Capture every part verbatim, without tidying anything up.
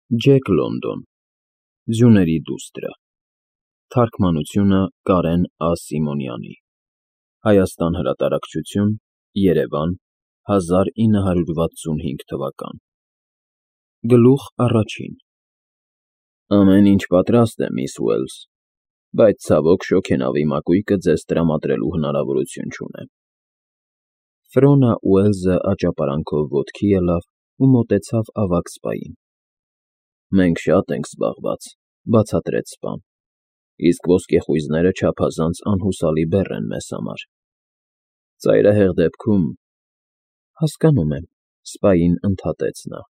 Ջեք Լոնդոն Ձյուների դուստր Թարգմանությունը Կարեն Ա. Սիմոնյանի Հայաստան հրատարակչություն Երևան հազար ինը հարյուր վաթսունհինգ թվական Գլուխ առաջին Ամեն ինչ պատրաստ է, միս Ուելս, բայց ցավոք շոգենավի մակույկը ձեզ տրամադրելու հնարավորություն չունեմ։ Ֆրոնա Ուելզը աճապարանքով ոտքի ելավ ու մոտեցավ ավագ սպային։ Մենք շատ ենք զբաղված, բացատրեց սպան, իսկ ոսկեխույզները չափազանց անհուսալի բեռ են մեզ համար։ Ծայրահեղ դեպքում… Հասկանում եմ, սպային ընդհատեց նա։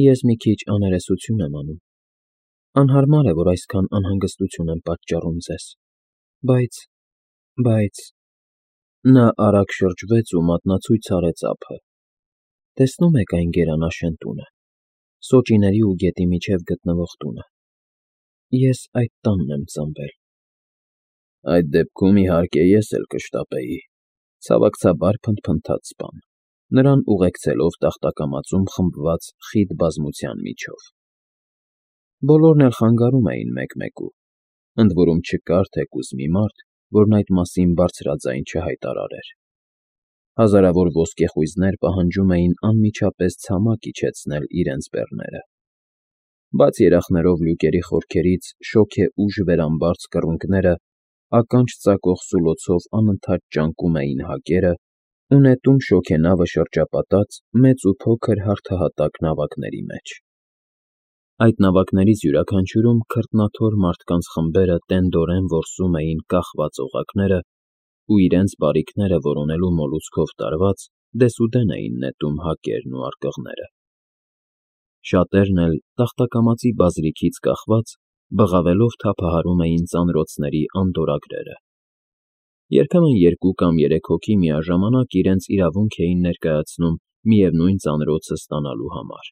Ես մի քիչ աներեսություն եմ անում։ Անհարմար է, որ այսքան անհանգստություն եմ պատճառում ձեզ, բայց… բայց… Նա արագ շրջվեց ու մատնացույց արեց ափը։ Տեսնո՞ւմ եք այն գերանաշեն տունը, սոճիների ու գետի միջև գտնվող տունը։ Ես այդ տանն եմ ծնվել։ Այդ դեպքում, իհարկե, ես էլ կշտապեի, ցավակցաբար փնթփնթաց սպան, նրան ուղեկցելով տախտակամածում խմբված խիտ բազմության միջով։ Բոլորն էլ խանգարում էին մեկ֊մեկու, ընդ որում չկար թեկուզ մի մարդ, որն այդ մասին բարձրաձայն չհայտարարեր։ Հազարավոր ոսկեխույզներ պահանջում էին անմիջապես ցամաք իջեցնել իրենց բեռները։ Բաց երախներով լյուկերի խորքերից շոգեուժ վերամբարձ կռունկները ականջ ծակող սուլոցով անընդհատ ճանկում էին հակերը ու նետում շոգենավը շրջապատած մեծ ու փոքր հարթահատակ նավակների մեջ։ Այդ նավակներից յուրաքանչյուրում քրտնաթոր մարդկանց խմբերը տենդորեն որսում էին կախված օղակները ու իրենց բարիքները որոնելու մոլուցքով տարված դեսուդեն էին նետում հակերն ու արկղները։ Շատերն էլ, տախտակամածի բազրիքից կախված, բղավելով թափահարում էին ծանրոցների անդորրագրերը։ Երբեմն երկու կամ երեք հոգի միաժամանակ իրենց իրավունք էին ներկայացնում միևնույն ծանրոցը ստանալու համար,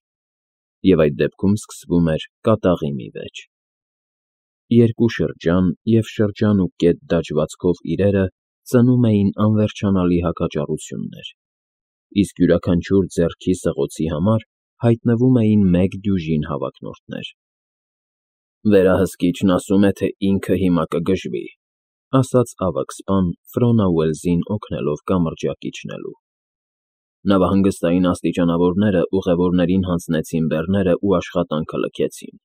և այդ դեպքում սկսվում էր կատաղի մի վեճ։ Երկու շրջան և շրջան ու կետ դաջվածքով իրերը ծնում էին անվերջանալի հակաճառություններ, իսկ յուրաքանչյուր ձեռքի սղոցի համար հայտնվում էին մեկ դյուժին հավակնորդներ։ Վերահսկիչն ասում է, թե ինքը հիմա կգժվի, ասաց ավագ սպան Ֆրոնա Ուելզին օգնելով կամրջակ իջնելու։ Նավահանգստային աստիճանավորները ուղևորներին հանձնեցին բեռները ու աշխատանքը լքեցին։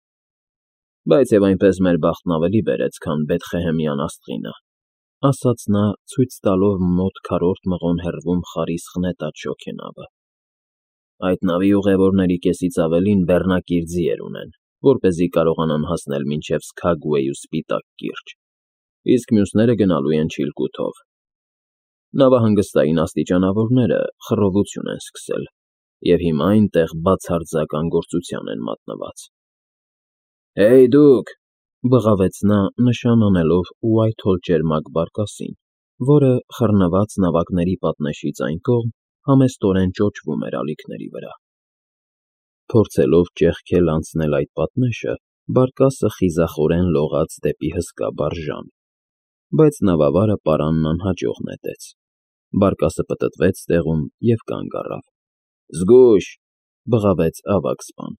Բայց և այնպես մեր բախտն ավելի բերեց, քան Բեթխեհեմյան աստղինը, ասաց նա, ցույց տալով մոտ քառորդ մղոն հեռվում խարիսխ նետած շոգենավը։ Այդ նավի ուղևորների կեսից ավելին բեռնակիր ձիեր ունեն, որպեսզի կարողանան հասնել մինչև Սքագուեյ ու Սպիտակ կիրճ, իսկ մյուսները գնալու են Չիլկութով։ Նավահանգստային աստիճանավորները խռովություն են սկսել և հիմա այնտեղ բացարձակ անգործության են մատնված։ Հեյ դուք, բղավեց նա, նշան անելով Ուայթհոլ ճերմակ բարկասին, որը, խռնված նավակների պատնեշից այն կողմ, համեստորեն ճոճվում էր ալիքների վրա։ Փորձելով ճեղքել անցնել այդ պատնեշը, բարկասը խիզախորեն լողաց դեպի հսկա բարժան, բայց նավավարը պարանն անհաջող նետեց։ Բարկասը պտտվեց տեղում և կանգ առավ։ Զգույշ, բղավեց ավագ սպան։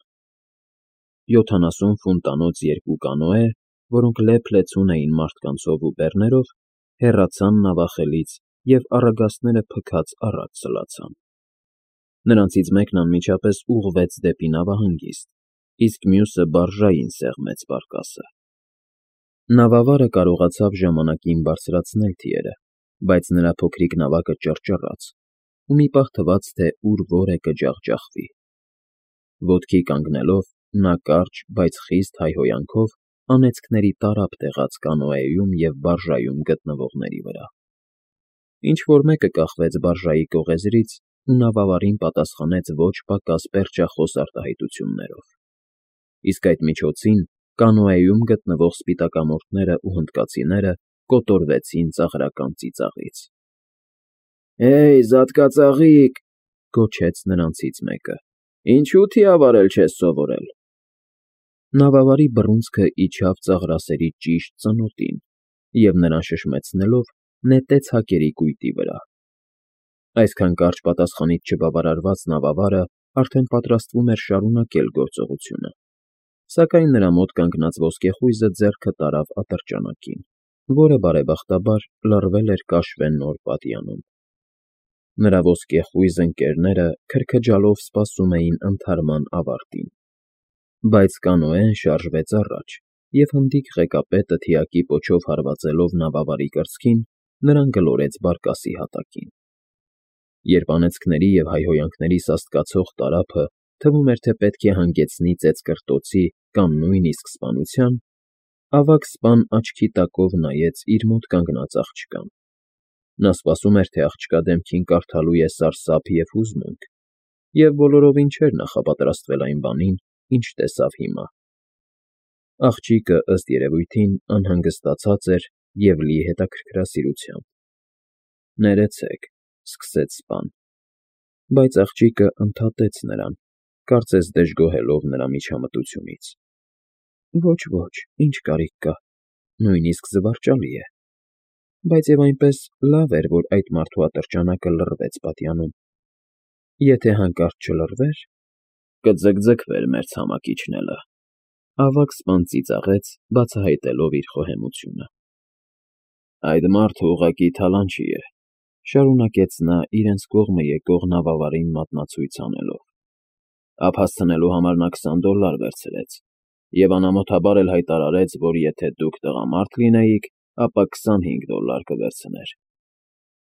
Յոթանասուն ֆուտանոց երկու կանոե, որոնք լեփ-լեցուն էին մարդկանցով ու բեռներով, հեռացան նավախելից և առագաստները փքած առաջ սլացան։ Նրանցից մեկն անմիջապես ուղղվեց դեպի նավահանգիստ, իսկ մյուսը բարժային սեղմեց բարկասը։ Նավավարը կարողացավ ժամանակին բարձրացնել թիերը, բայց նրա փոքրիկ նավակը ճռճռաց, ու մի պահ թվաց, թե ուր որ է կջախջախվի։ Ոտքի կանգնելով, նա կարճ, բայց խիստ հայհոյանքով անեծքների տարափ տեղաց կանոեում և բարժայում գտնվողների վրա։ Ինչ֊որ մեկը կախվեց բարժայի կողեզրից ու նավավարին պատասխանեց ոչ պակաս պերճախոս արտահայտություններով, իսկ այդ միջոցին կանոեում գտնվող սպիտակամորթները ու հնդկացիները կոտորվեցին ծաղրական ծիծաղից։ Հեյ, զատկածաղիկ, գոչեց նրանցից մեկը, ինչու թիավարել չես սովորել։ Նավավարի բռունցքը իջավ ծաղրասերի ճիշտ ծնոտին և նրան շշմեցնելով նետեց հակերի կույտի վրա։ Այսքան կարճ պատասխանից չբավարարված նավավարը արդեն պատրաստվում էր շարունակել գործողությունը, Սակայն նրա մոտ կանգնած ոսկեխույզը ձեռքը տարավ ատրճանակին, որը բարեբախտաբար լռվել էր կաշվե նոր պատյանում։ Նրա ոսկեխույզ ընկներները քրքջալով սպասում էին ընդհարման ավարտին, բայց կանոեն շարժվեց առաջ, և հնդիկ ղեկապետը թիակի պոչով հարվածելով նավավարի կրծքին, նրան գլորեց բարկասի հատակին։ Երբ անեծքների և հայհոյանքների սաստկացող տարափը թվում էր, թե պետք է հանգեցնի ծեծկռտոցի կամ նույնիսկ սպանության, ավագ սպան աչքի տակով նայեց իր մոտ կանգնած աղջկան. նա սպասում էր, թե աղջկա դեմքին կարդալու է սարսափ և հուզմունք, և բոլորովին չէր նախապատրաստվել այն բանին, ինչ տեսավ հիմա։ Աղջիկը, ըստ երևույթին, անհանգստացած էր և լի հետաքրքրասիրությամբ։ ֊ Ներեցեք,֊ սկսեց սպան, բայց աղջիկը ընդհատեց նրան, կարծես դժգոհելով նրա միջամտությունից։ ֊ Ոչ, ոչ, ինչ կարիք կա, նույնիսկ զվարճալի է, բայց և այնպես լավ էր, որ այդ մարդու ատրճանակը լռվեց պատյանում։ Եթե հանկարծ չլռվեր, կձգձգվեր մեր ցամաքիչն էլը,֊ ավագ սպան ծիծաղեց, բացահայտելով իր խոհեմությունը։ Այդ մարդը ուղղակի թալանչի է,֊ շարունակեց նա իրենց կողմը եկող նավավարին մատնացույց անելով։ Ափ հասցնելու համար նա քսան դոլլար վերցրեց և անամոթաբար էլ հայտարարեց, որ եթե դուք տղամարդ լինեիք, ապա քսանհինգ դոլլար կվերցներ։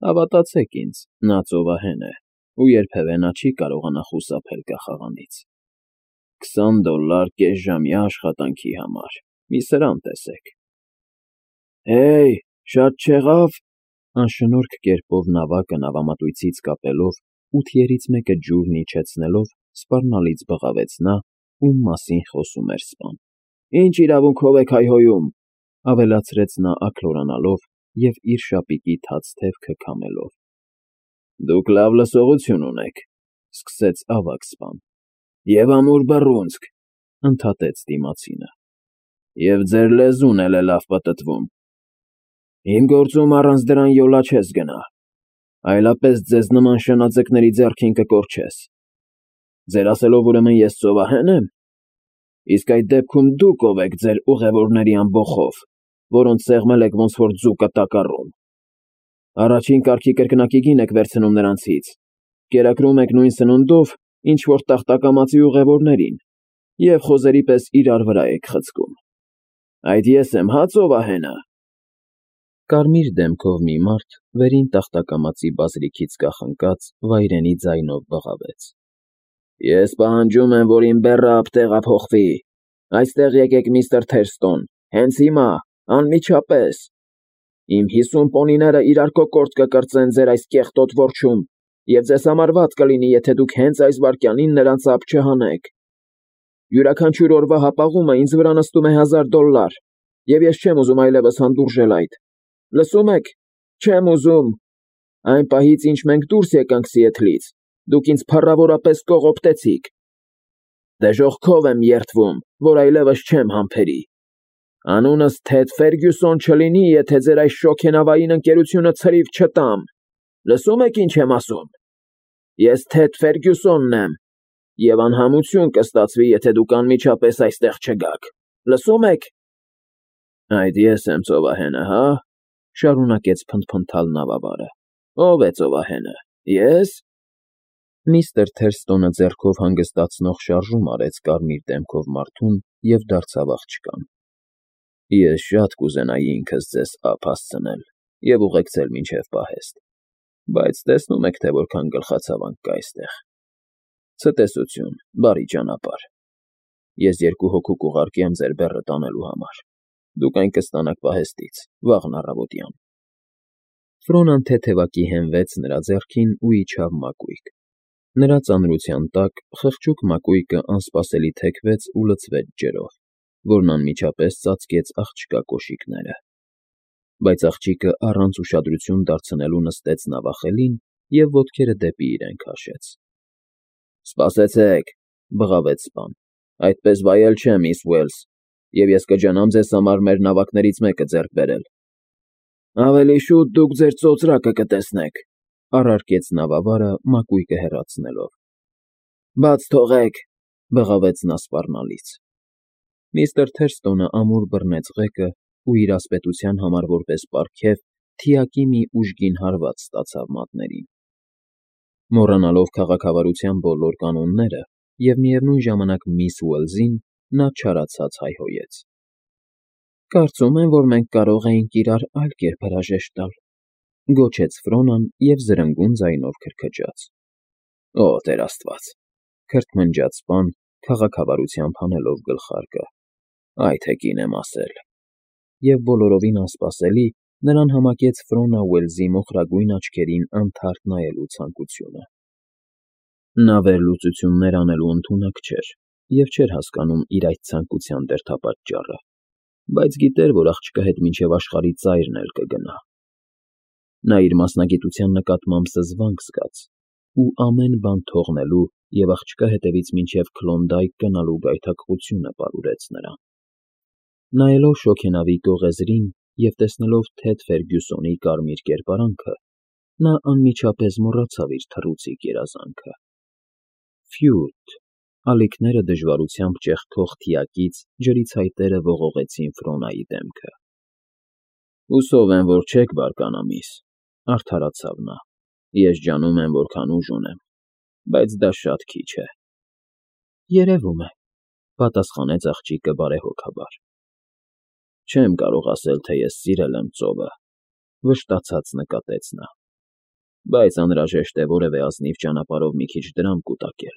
Հավատացեք ինձ, նա ծովահեն է, ու երբևէ նա չի կարողանա խուսափել կախաղանից։ Քսան դոլլար կեսժամյա աշխատանքի համար, մի սրան տեսեք։ Հեյ, շատ չեղավ,֊ անշնորհք կերպով նավակը նավամատույցից կապելով ու թիերից մեկը ջուրն իջեցնելով սպառնալից բղավեց նա, ում մասին խոսում էր սպան։ Ինչ իրավունքով եք հայհոյում,֊ ավելացրեց նա աքլորանալով և իր շապիկի թաց թևքը քամելով։ Դուք լավ լսողություն ունեք,֊ սկսեց ավագ սպան։ Եվ ամուր բռունցք,֊ ընդհատեց դիմացինը։ Եվ ձեր լեզուն էլ է լավ պտտվում։ Իմ գործում առանց դրան յոլա չես գնա, այլապես ձեզ նման շնաձկների ձեռքին կկորչես։ Ձեր ասելով, ուրեմն ես ծովահե՞ն եմ։ Իսկ այդ դեպքում դուք ով եք ձեր ուղևորների ամբոխով, որոնց սեղմել եք ոնց որ ձուկը տակառում։ Առաջին կարգի կրկնակի գին եք վերցնում նրանցից, կերակրում եք նույն սնունդով, ինչ որ տախտակամածի ուղևորներին, և խոզերի պես իրար վրա եք խցկում։ Այդ ես եմ, հա, ծովահենը։ Կարմիր դեմքով մի մարդ վերին տախտակամածի բազրիքից կախնկած վայրենի ձայնով բղավեց. Ես պահանջում եմ, որ իմ բեռը ապտեղափոխվի։ Այստեղ եկեք, միստր Թերստոն, հենց հիմա, անմիջապես։ Իմ հիսուն պոնիները իրար կոկորտ կկրծեն ձեր այս կեղտոտ որջում, և ձեզ համար վատ կլինի, եթե դուք հենց այս վայրկյանին նրանց ափ չհանեք։ Յուրաքանչյուր օրվա հապաղումը ինձ վրա նստում է հազար դոլլար, և ես չեմ ուզում այլևս հանդուրժել այդ։ Լսո՞ւմ եք, չեմ ուզում։ Այն պահից, ինչ մենք դուրս եկանք Սիեթլից, դուք ինձ փառավորապես կողոպտեցիք։ Դժոխքով եմ երդվում, որ այլևս չեմ համբերի։ Անունս Թեդ Ֆերգյուսոն չլինի, եթե ձեր այս շոգենավային ընկերությունը ցրիվ չտամ։ Լսո՞ւմ եք, ինչ եմ ասում։ Ես Թեդ Ֆերգյուսոնն եմ, և անհամություն կստացվի, եթե դուք անմիջապես այստեղ չգաք։ Լսո՞ւմ եք։ Այդ ես եմ ծովահենը, հա, շարունակեց փնթփնթալ նավավարը։ Ո՞վ է ծովահենը, ես։ Միստր Թերստոնը ձեռքով հանգստացնող շարժում արեց կարմիր դեմքով մարդուն և դարձավ աղջկան։ Ես շատ կուզենայի ինքս ձեզ ափ հասցնել և ուղեկցել մինչև պահեստ, բայց տեսնում եք, թե որքան գլխացավանք կա այստեղ։ Ցտեսություն, բարի ճանապարհ։ Ես երկու հոգու կուղարկեմ ձեր բեռը տանելու համար։ Դուք այն կստանաք պահեստից, վաղն առավոտյան։ Ֆրոնան թեթևակի հենվեց նրա ձեռքին ու իջավ մակույկ։ Նրա ծանրության տակ խղճուկ մակույկը անսպասելի թեքվեց ու լցվեց ջրով, որն անմիջապես ծածկեց աղջկա կոշիկները։ Բայց աղջիկը առանց ուշադրություն դարձնելու նստեց նավախելին և ոտքերը դեպի իրեն քաշեց։ Սպասեցեք,֊ բղավեց սպան, այդպես վայել չէ, միս Ուելս, և ես կջանամ ձեզ համար մեր նավակներից մեկը ձեռք բերել։ Ավելի շուտ դուք ձեր ծոծրակը կտեսնեք,֊ առարկեց նավավարը մակույկը հեռացնելով։ Բաց թողեք,֊ բղավեց նա սպառնալից։ Միստր Թերստոնը ամուր բռնեց ղեկը ու իր ասպետության համար որպես պարգև թիակի մի ուժգին հարված ստացավ մատներին։ Մոռանալով քաղաքավարության բոլոր կանոնները և միևնույն ժամանակ միս Ուելզին, նա չարացած հայհոյեց. «Կարծում եմ, որ մենք կարող էինք իրար այլ կերպ հրաժեշտ տալ», գոչեց Ֆրոնան և զրնգուն ձայնով քրքջաց։ «Օ, Տեր Աստված», քրթմնջաց պան, քաղաքավարությամբ հանելով գլխարկը, «այ թե կին եմ ասել»։ Եվ բոլորովին անսպասելի, նրան համակեց Ֆրոնա Ուելզի մոխրագույն աչքերին անթարթ նայելու ցանկությունը։ Նա վերլուծություններ անելու ընդունակ չէր և չէր հասկանում իր այդ ցանկության դերդապատճառը, բայց գիտեր, որ աղջկա հետ մինչև աշխարհի ծայրն էլ կգնա։ Նա իր մասնագիտության նկատմամբ զզվանք զգաց ու ամեն բան թողնելու և աղջկա հետևից մինչև Քլոնդայք գնալու գայթակղությունը պարուրեց նրան։ Նայելով շոգենավի գողեզրին և տեսնելով Թեդ Ֆերգյուսոնի կարմիր կերպարանքը, նա անմիջապես մոռացավ իր թռուցիկ երազանքը։ Ֆյութ… Ալիքները դժվարությամբ ճեղքող թիակից ջրի ցայտերը ողողեցին Ֆրոնայի դեմքը։ «Հուսով եմ, որ չեք բարկանա, միս», արդարացավ նա։ «Ես ջանում եմ, որքան ուժ ունեմ, բայց դա շատ քիչ է»։ «Երևում է», պատասխանեց աղջիկը բարեհոգաբար։ «Չեմ կարող ասել, թե ես սիրել եմ ծովը», վշտացած նկատեց նա, «բայց անհրաժեշտ է որևէ ազնիվ ճանապարհով մի քիչ դրամ կուտակել,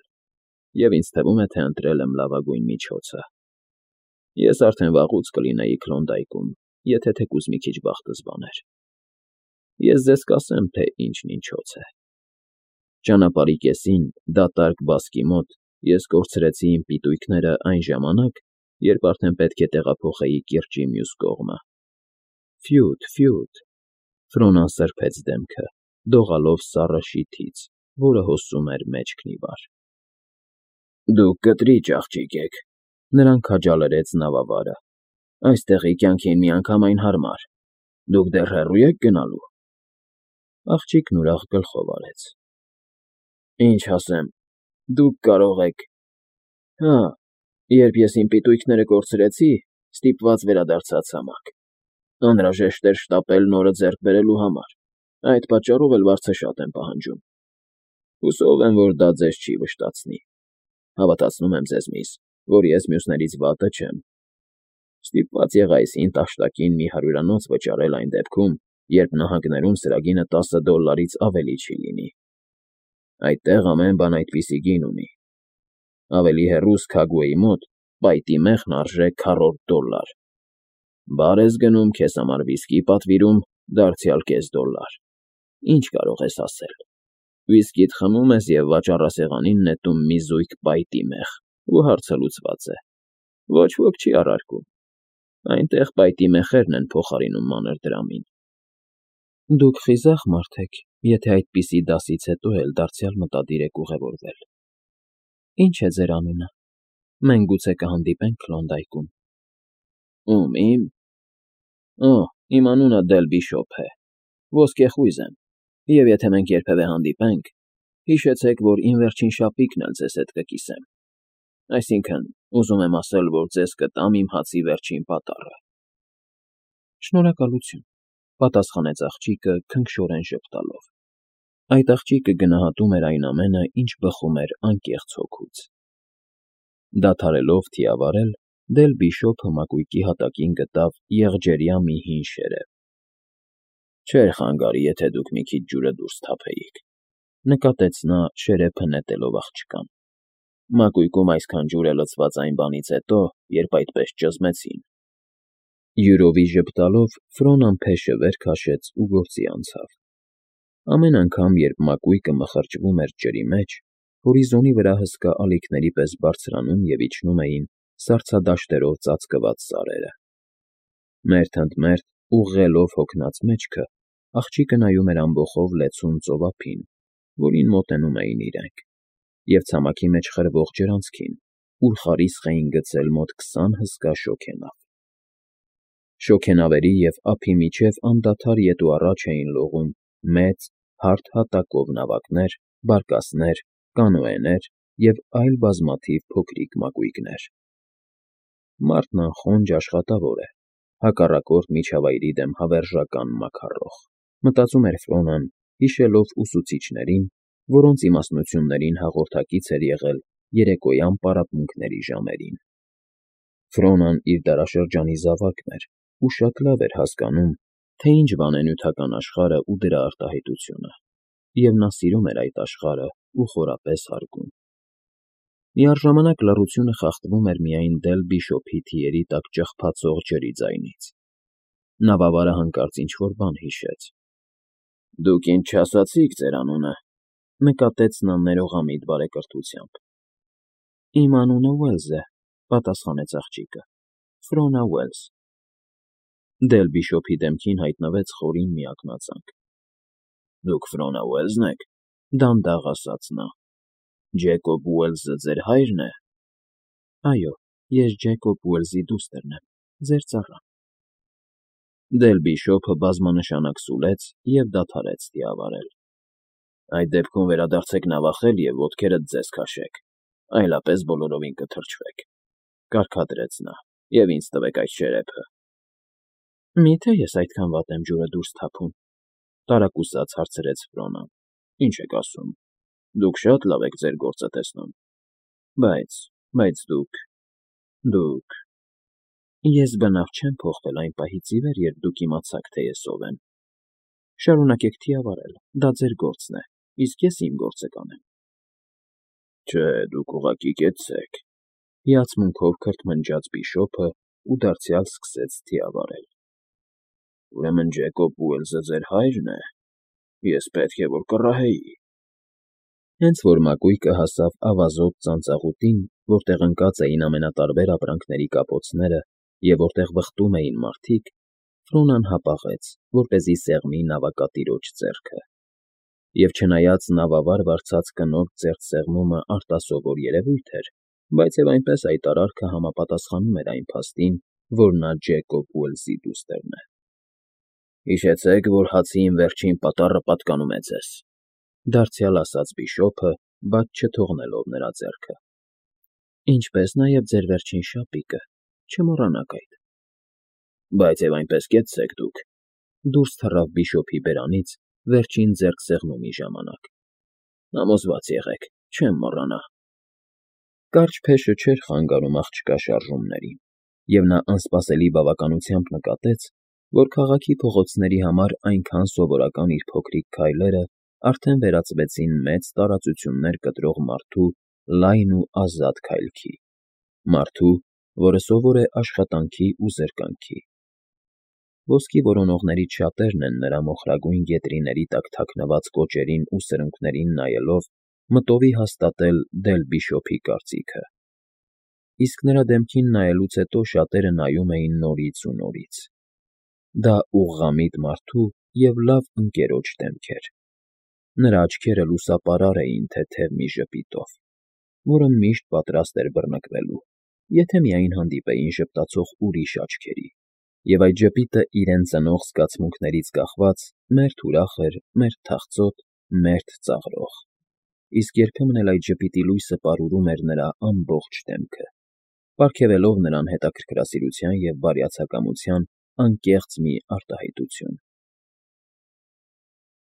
և ինձ թվում է, թե ընտրել եմ լավագույն միջոցը։ Ես արդեն վաղուց կլինեի Քլոնդայքում, եթե թեկուզ մի քիչ բախտս բաներ։ Ես ձեզ կասեմ, թե ինչն ինչոց է։ Ճանապարհի կեսին, դատարկ բասկի մոտ, ես կորցրեցի իմ պիտույքները այն ժամանակ, երբ արդեն պետք է տեղափոխեի կիրճի մյուս կողմը։ Ֆյութ, ֆյութ… Ֆրոնան սրբեց դեմքը, դողալով սառը շիթից, որը հոսում էր մեջքն ի վար։ «Դուք կտրիճ աղջիկ եք», նրան քաջալերեց նավավարը։ «Այստեղի կյանքին միանգամայն հարմար։ Դուք դեռ հեռո՞ւ եք գնալու»։ Աղջիկն ուրախ գլխով արեց։ «Ինչ ասեմ, դուք կարող եք… Հա, երբ ես իմ պիտույքները կորցրեցի, ստիպված վերադարձա ցամաք։ Անհրաժեշտ էր շտապել նորը ձեռք բերելու համար, այդ պատճառով էլ վարձը շատ եմ պահանջում։ Հուսով եմ, որ դա ձեզ չի վշտացնի։ Հավատացնում եմ ձեզ, միս, որ ես մյուսներից վատը չեմ։ Ստիպված եղա այս հին տաշտակին մի հարյուրանոց վճարել այն դեպքում, երբ նահանգներում սրագինը տասը դոլլարից ավելի չի լինի։ Այդտեղ ամեն բան այդպիսի գին ունի։ Ավելի հեռու Սքագուեի մոտ պայտի մեղն արժե քառորդ դոլլար։ Բար ես գնում, քեզ համար վիսկի պատվիրում, դարձյալ կես դոլլար։ Ինչ կարող ես ասել։ Վիսկիդ խմում ես և վաճառասեղանին նետում մի զույգ պայտի մեղ, ու հարցը լուծված է։ Ոչ ոք չի առարկում։ Այնտեղ պայտի մեխերն են փոխարինում մանր դրամին։ Դուք խիզախ մարդ եք, եթե այդպիսի դասից հետո էլ դարձյալ մտադիր եք ուղևորվել։ Ինչ է ձեր անունը։ Մենք գուցե կհանդիպենք Քլոնդայքում։ Ում՝ իմ։ Օ, իմ անունը Դել Բիշոփ է, ոսկեխույզ եմ, և եթե մենք երբևէ հանդիպենք, հիշեցեք, որ իմ վերջին շապիկն էլ ձեզ հետ կկիսեմ։ Այսինքն, ուզում եմ ասել, որ ձեզ կտամ իմ հացի վերջին պատառը։ Շնորհակալություն, պատասխանեց աղջիկը քնքշորեն ժպտալով։ Այդ աղջիկը գնահատում էր այն ամենը, ինչ բխում էր անկեղծ հոգուց։ Դադարելով թիավարել, Դել Բիշոփը մակույկի հատակին գտավ եղջերյա մի հին շերև։ Չէր խանգարի, եթե դուք մի քիչ ջուրը դուրս թափեիք, նկատեց նա շերեփը նետելով աղջկան։ Մակույկում այսքան ջուր է լցված այն բանից հետո, երբ այդպես ճզմեցին։ Յուրովի ժպտալով Ֆրոնան փեշը վեր քաշեց ու գործի անցավ։ Ամեն անգամ, երբ մակույկը մխրճվում էր ջրի մեջ, հորիզոնի վրա հսկա ալիքների պես բարձրանում և իջնում էին սառցադաշտերով ծածկված սարերը։ Մերթ ընդ մերթ, ուղղելով հոգնած մեջքը, աղջիկը նայում էր ամբոխով լեցուն ծովափին, որին մոտենում էին իրենք, և ցամաքի մեջ խրվող ջրանցքին, ուր խարիսխ էին գցել մոտ քսան հսկա շոգենավ։ Շոգենավերի և ափի միջև անդադար ետ ու առաջ էին լողում մեծ, հարթ հատակով նավակներ, բարկասներ, կանոեներ և այլ բազմաթիվ փոքրիկ մակույկներ։ Մարդն անխոնջ աշխատավոր է, հակառակորդ միջավայրի դեմ հավերժական մաքարող, մտածում էր Ֆրոնան, հիշելով ուսուցիչներին, որոնց իմաստնություններին հաղորդակից էր եղել երեկոյան պարապմունքների ժամերին։ Ֆրոնան իր դարաշրջանի զավակն էր ու շատ լավ էր հասկանում, թե ինչ բան է նյութական աշխարհը ու դրա արտահայտությունը, և նա սիրում էր այդ աշխարհն ու խորապես հարգում։ Միառժամանակ լռությունը խախտվում էր միայն Դել Բիշոփի թիերի տակ ճխփացող ջրի ձայնից։ Նավավարը հանկարծ ինչ֊որ բան հիշեց։ ֊ Դուք ինձ չասացիք ձեր անունը,֊ նկատեց նա ներողամիտ բարեկրթությամբ։ ֊ Իմ անունը Ուելս է,֊ պատասխանեց աղջիկը,֊ Ֆրոնա Ուելս։ Դել Բիշոփի դեմքին հայտնվեց խորին միակնածանք։ ֊ Դուք Ֆրոնա Ուելսն եք,֊ դանդաղ ասաց նա։֊ Ջեկոբ Ուելսը ձեր հա՞յրն է։ ֊ Այո, ես Ջեկոբ Ուելսի դուստրն եմ, ձեր ծառան։ Դել Բիշոփը բազմանշանակ սուլեց և դադարեց թիավարել։ ֊ Այդ դեպքում վերադարձեք նավախել և ոտքերդ ձեզ քաշեք, այլապես բոլորովին կթրջվեք,֊ կարգադրեց նա,֊ և ինձ տվեք այդ черեփը։ ֊ Մի՞թե ես այդքան վատ եմ ջուրը դուրս թափում,֊ տարակուսած հարցրեց Ֆրոնան։ ֊ Ինչ եք ասում, դուք շատ լավ եք ձեր գործը տեսնում։ Բայց, բայց դուք… դուք… Ես բնավ չեմ փոխվել այն պահից ի վեր, երբ դուք իմացաք, թե ես ով եմ։ Շարունակեք թիավարել, դա ձեր գործն է, իսկ ես իմ գործը կանեմ։ ֊ Չէ, դուք ուղղակի կեցցեք,֊ հիացմունքով քրթմնջաց Բիշոփն ու դարձյալ սկսեց թիավարել։ ֊ Ուրեմն Ջեկոբ Ուելսը ձեր հա՞յրն է։ Ես պետք է որ կռահեի։ Հենց որ մակույկը հասավ ավազոտ ծանծաղուտին, որտեղ ընկած էին ամենատարբեր ապրանքների կապոցները և որտեղ վխտում էին մարդիկ, Ֆրոնան հապաղեց, որպեսզի սեղմի նավակատիրոջ ձեռքը, և չնայած նավավար վարձած կնոջ ձեռքսեղմումը արտասովոր երևույթ էր, բայց և այնպես այդ արարքը համապատասխանում էր այն փաստին, որ նա Ջեկոբ Ուելսի դուստրն է։ ֊ Հիշեցեք, որ հացի իմ վերջին պատառը պատկանում է ձեզ,֊ դարձյալ ասաց Բիշոփը, բայց չթողնելով նրա ձեռքը։ ֊ Ինչպես նաև ձեր վերջին շապիկը, չմոռանաք այդ։ ֊ Բայց և այնպես կեցցեք դուք,֊ դուրս թռավ Բիշոփի բերանից վերջին ձեռքսեղմումի ժամանակ։ ֊ Համոզված եղեք, չեմ մոռանա։ Կարճ փեշը չէր խանգարում աղջկա շարժումներին, և նա անսպասելի բավականությամբ նկատեց, որ քաղաքի փողոցների համար այնքան սովորական իր փոքրիկ քայլերն արդեն վերածվեցին մեծ տարածություններ կտրող մարդու լայն ու ազատ քայլքի, մարդու, որը սովոր է աշխատանքի ու զրկանքի։ Ոսկի որոնողներից շատերն են նրա մոխրագույն գետրիների տակ թաքնված կոճերին ու սրունքներին նայելով մտովի հաստատել Դել Բիշոփի կարծիքը, իսկ նրա դեմքին նայելուց հետո շատերը նայում էին նորից ու նորից։ Դա ուղղամիտ մարդու և լավ ընկերոջ դեմք էր։ Նրա աչքերը լուսապարար էին թեթև մի ժպիտով, որը միշտ պատրաստ էր բռնկվելու, եթե միայն հանդիպեին ժպտացող ուրիշ աչքերի, և այդ ժպիտը իրեն ծնող զգացմունքներից կախված մերթ ուրախ էր, մերթ թախծոտ, մերթ ծաղրող, իսկ երբեմն էլ այդ ժպիտի լույսը պարուրում էր նրա ամբողջ դեմքը, պարգևելով նրան հետաքրքրասիրության և բարյացակամության անկեղծ մի արտահայտություն։